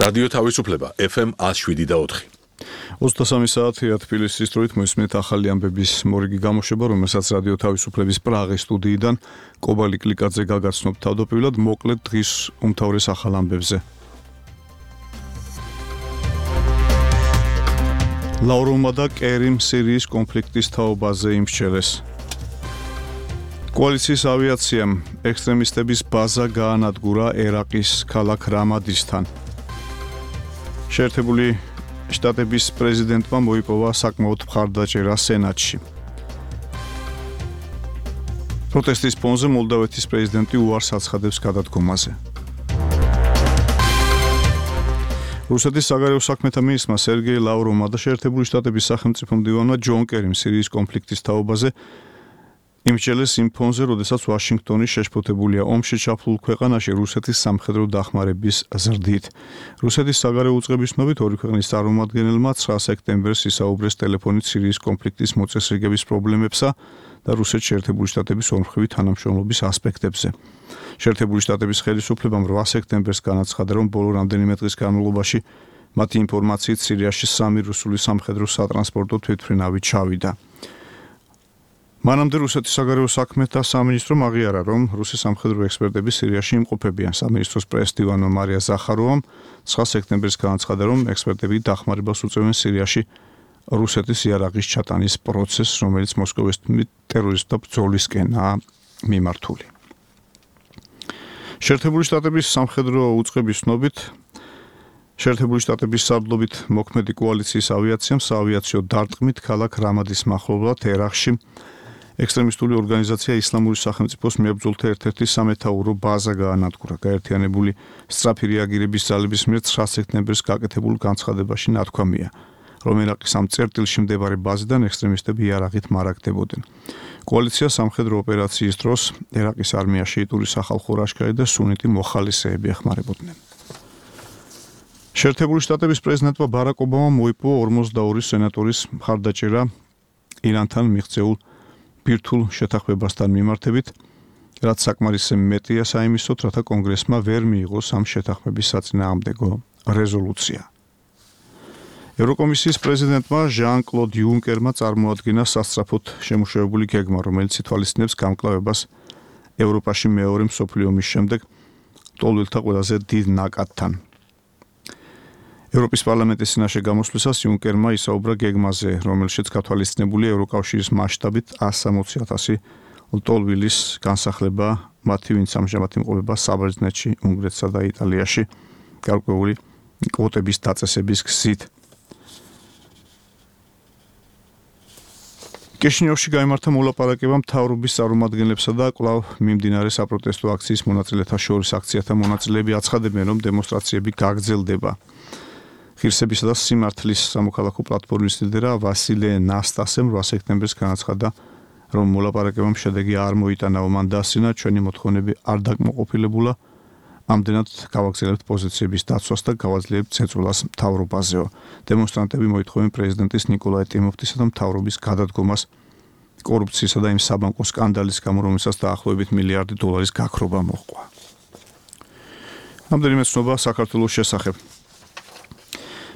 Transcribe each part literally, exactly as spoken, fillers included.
რადიო თავისუფლება ეფ ემ one oh seven და four. ოცდასამი საათია თბილისის დროით მოისმენთ ახალი ამბების მორიგი გამოშვება, რომელსაც რადიო თავისუფლების პრაღის სტუდიიდან კობალი კლიკაძე გაგაცნობთ თავდაპირველად მოკლედ დღის უმთავრეს ახალ ამბებზე. ლავროვმა და კერიმ სირიის კონფლიქტის თაობაზე იმსჩელეს. კოალიციის ავიაციამ ექსტრემისტების ბაზა გაანადგურა ერაყის ქალაქ რამადისთან. შეერთებული შტატების პრეზიდენტმა მოიპოვა საკმაოდ მხარდაჭერა სენატში. პროტესტის ფონზე მოლდავეთის პრეზიდენტი უარს აცხადებს გადადგომაზე. რუსეთის საგარეო საქმეთა მინისტრმა სერგეი ლავროვმა და შეერთებული შტატების სახელმწიფო მდივანმა ჯონ კერიმ სირიის კონფლიქტის თაობაზე იმსჩელეს იმ ფონზე, როდესაც ვაშინგტონი შეშფოთებულია ომში ჩაფლულ ქვეყანაში რუსეთის სამხედრო დახმარების ზრდით. რუსეთის საგარეო უწყების ცნობით ორი ქვეყნის წარმომადგენელმა ცხრა სექტემბერს ისაუბრეს ტელეფონით სირიის კონფლიქტის მოწესრიგების პრობლემებსა და რუსეთის შეერთებული შტატების ორმხრივი თანამშრომლობის ასპექტებზე. შეერთებული შტატების ხელისუფლებამ რვა სექტემბერს განაცხადა, რომ ბოლო რამდენიმე დღის განმავლობაში მათი ინფორმაციით სირიაში სამი რუსული სამხედრო სატრანსპორტო თვითმფრინავი ჩავიდა. მანამდე რუსეთის საგარეო საქმეთა სამინისტრომ აღიარა, რომ რუსი სამხედრო ექსპერტები სირიაში იმყოფებიან. სამინისტროს პრეს-დივანმა მარია ზახაროვამ ცხრა სექტემბერს განაცხადა, რომ ექსპერტები დახმარებას უწევენ სირიაში რუსეთის იარაღის ჩატანის პროცესს, რომელიც მოსკოვის თქმით ტერორისტთა ბრძოლისკენაა მიმართული. შეერთებული შტატების სამხედრო უწყების ცნობით შეერთებული შტატების სარდლობით მოქმედი კოალიციის ავიაციამ საავიაციო დარტყმით ქალაქ რამადის მახლობლად ერაყში ექსტრემისტული ორგანიზაცია ისლამური სახელმწიფოს მებრძოლთა ერთ-ერთი სამეთაურო ბაზა გაანადგურა. გაერთიანებული სწრაფი რეაგირების ძალების მიერ ცხრა სექტემბერს გაკეთებულ განცხადებაში ნათქვამია, რომ ერაყის ამ წერტილში მდებარე ბაზიდან ექსტრემისტები იარაღით მარაგდებოდნენ. კოალიცია სამხედრო ოპერაციის დროს ერაყის არმია შეიტური სახალხო ლაშქარი და სუნიტი მოხალისეები ეხმარებოდნენ. შეერთებული შტატების პრეზიდენტმა ბარაკ ობამამ მოიპოვა ორმოცდაორი სენატორის მხარდაჭერა ირანთან მიღწეულ ბირთვულ შეთანხმებასთან მიმართებით, რაც საკმარისზე მეტია საიმისოდ, რათა კონგრესმა ვერ მიიღოს ამ შეთანხმების საწინააღმდეგო რეზოლუცია. ევროკომისიის პრეზიდენტმა ჟან-კლოდ იუნკერმა წარმოადგინა სასწრაფოდ შემუშავებული გეგმა, რომელიც ითვალისწინებს გამკლავებას ევროპაში მეორე მსოფლიო ომის შემდეგ ლტოლვილთა ყველაზე დიდ ნაკადთან. ევროპის პარლამენტის წინაშე გამოსვლისას იუნკერმა ისაუბრა გეგმაზე, რომელშიც გათვალისწინებულია ევროკავშირის მასშტაბით one hundred sixty thousand ლტოლვილის განსახლება, მათი ვინც ამჟამად იმყოფება საბერძნეთში, უნგრეთსა და იტალიაში, გარკვეული კვოტების დაწესების გზით. კიშინიოვში გაიმართა მოლაპარაკება მთავრობის წარმომადგენლებსა და კვლავ მიმდინარე საპროტესტო აქციის მონაწილეთა შორის. აქციათა მონაწილეები აცხადებენ, რომ დემონსტრაციები გაგრძელდება. ღირსებისა და სიმართლის სამოქალაქო პლატფორმის ლიდერა ვასილე ნასტასემ რვა სექტემბერს განაცხადა, რომ მოლაპარაკებამ შედეგი არ მოიტანა. მან დასცინა, ჩვენი მოთხოვნები არ დაკმაყოფილებულა, ამდენად გავაგრძელებთ პოზიციების დაცვას და გავაძლიერებთ წეწვლას მთავრობაზეო. დემონსტრანტები მოითხოვენ პრეზიდენტის ნიკოლაი ტიმოფტისა და მთავრობის გადადგომას კორუფციისა და იმ საბანკო სკანდალის გამო, რომელსაც დაახლოებით მილიარდი დოლარის გაქრობა მოჰყვა. რამდენიმე ცნობა საქართველოს შესახებ.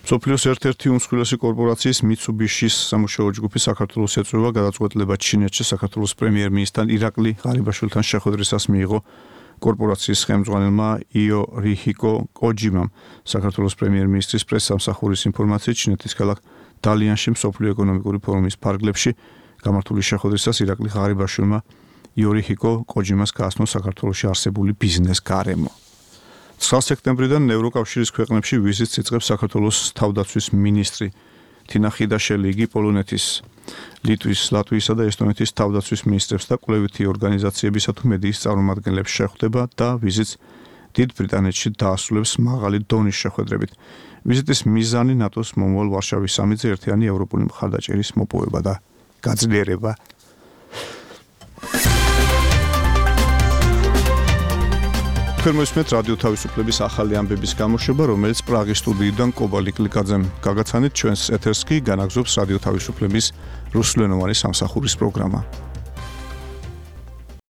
მსოფლიოს ერთ-ერთი უმსხვილესი კორპორაციის მიცუბიშის სამუშაო ჯგუფი საქართველოს ეწევა გადაწყვეტილება ჩინეთში საქართველოს პრემიერ-მინისტრთან ირაკლი ღარიბაშვილთან შეხვედრისას მიიღო კორპორაციის ხელმძღვანელმა იორიჰიკო კოჯიმამ. საქართველოს პრემიერ-მინისტრის პრეს-სამსახურის ინფორმაციით, ჩინეთის ქალაქ დალიანში მსოფლიო ეკონომიკური ფორუმის ფარგლებში გამართული შეხვედრისას ირაკლი ღარიბაშვილმა იორიჰიკო კოჯიმას გააცნო საქართველოში არსებული ბიზნეს გარემო. ცხრა სექტემბრიდან ევროკავშირის ქვეყნებში ვიზიტს იწყებს საქართველოს თავდაცვის მინისტრი თინა ხიდაშელი. იგი პოლონეთის, ლიტვის, ლატვიისა და ესტონეთის თავდაცვის მინისტრებს და კვლევითი ორგანიზაციებისა თუ მედიის წარმომადგენლებს შეხვდება და ვიზიტს დიდ ბრიტანეთში დაასრულებს მაღალი დონის შეხვედრებით. ვიზიტის მიზანი ნატოს მომავალ ვარშავის სამიტზე ერთიანი ევროპული მხარდაჭერის მოპოვება და გაძლიერება. თქვენ მოისმენთ რადიო თავისუფლების ახალი ამბების გამოშვება, რომელიც პრაღის სტუდიიდან კობალი კლიკაძემ გაგაცანით. ჩვენს ეთერს კი განაგზობს რადიო თავისუფლების რუსულენოვანი სამსახურის პროგრამა.